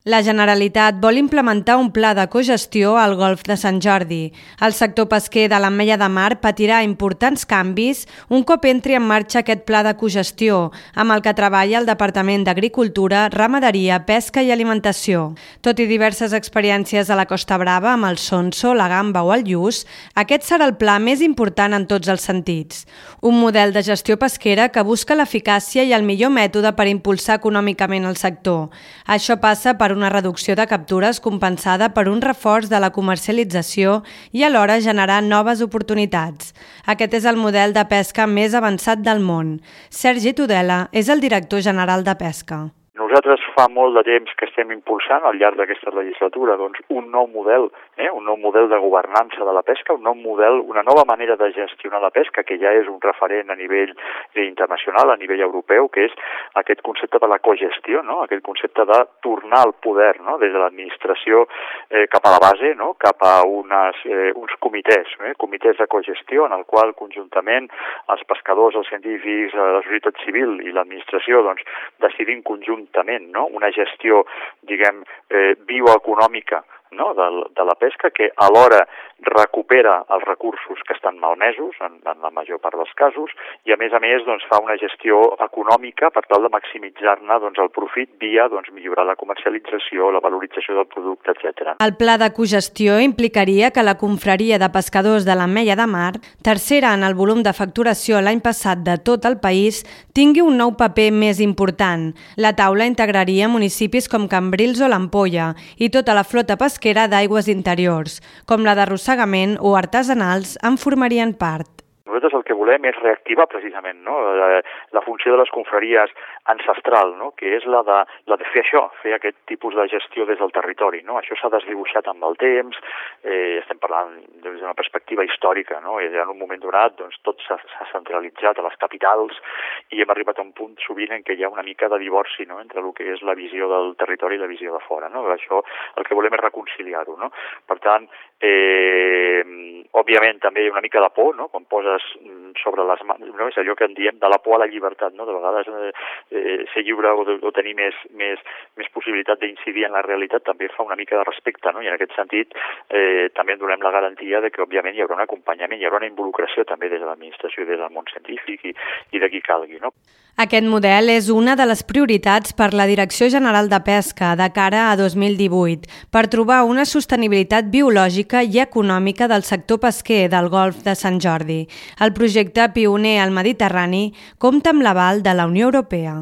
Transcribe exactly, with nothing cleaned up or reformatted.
La Generalitat vol implementar un pla de cogestió al Golf de Sant Jordi. El sector pesquer de l'Ametlla de Mar patirà importants canvis un cop entri en marxa aquest pla de cogestió, amb el que treballa el Departament d'Agricultura, Ramaderia, Pesca i Alimentació. Tot i diverses experiències a la Costa Brava amb el sonso, la gamba o el lluç, aquest serà el pla més important en tots els sentits. Un model de gestió pesquera que busca l'eficàcia i el millor mètode per impulsar econòmicament el sector. Això passa per una reducció de captures compensada per un reforç de la comercialització i alhora generar noves oportunitats. Aquest és el model de pesca més avançat del món. Sergi Tudela és el director general de Pesca. Nosaltres fa molt de temps que estem impulsant al llarg d'aquesta legislatura doncs, un nou model, eh? un nou model de governança de la pesca, un nou model, una nova manera de gestionar la pesca que ja és un referent a nivell internacional, a nivell europeu, que és aquest concepte de la cogestió, no? Aquest concepte de tornar al poder, no? Des de l'administració eh, cap a la base, no? Cap a unes, eh, uns comitès, eh? comitès de cogestió en el qual conjuntament els pescadors, els científics, la societat civil i l'administració doncs, decidim conjuntament no? una gestió, diguem, eh, bioeconòmica no? de, de la pesca que alhora recupera els recursos que estan malmesos en, en la major part dels casos i a més a més doncs, fa una gestió econòmica per tal de maximitzar-ne doncs, el profit via doncs, millorar la comercialització, la valorització del producte, etcètera. El pla de cogestió implicaria que la confraria de pescadors de l'Ametlla de Mar, tercera en el volum de facturació l'any passat de tot el país, tingui un nou paper més important. La taula integraria municipis com Cambrils o l'Ampolla i tota la flota pesquera d'aigües interiors, com la d'arrossegament o artesanals, en formarien part. Nosaltres el que volem és reactivar precisament no? la, la funció de les confraries ancestral, no? que és la de, la de fer això, fer aquest tipus de gestió des del territori. No? Això s'ha desdibuixat amb el temps, eh, estem parlant des d'una perspectiva històrica, no? I en un moment donat doncs, tot s'ha centralitzat a les capitals i hem arribat a un punt sovint en què hi ha una mica de divorci no? entre el que és la visió del territori i la visió de fora. No? Això el que volem és reconciliar-ho. No? Per tant, eh, òbviament també hi ha una mica de por, no? Quan poses sobre les mans, no? És allò que en diem de la por a la llibertat, no? De vegades eh, ser lliure o, de, o tenir més, més, més possibilitat d'incidir en la realitat també fa una mica de respecte, no? I en aquest sentit eh, també donem la garantia de que òbviament hi haurà un acompanyament, hi haurà una involucració també des de l'administració i des del món científic i, i de qui calgui, no? Aquest model és una de les prioritats per la Direcció General de Pesca de cara a dos mil divuit per trobar una sostenibilitat biològica i econòmica del sector pesquer del Golf de Sant Jordi. El projecte pioner al Mediterrani compta amb l'aval de la Unió Europea.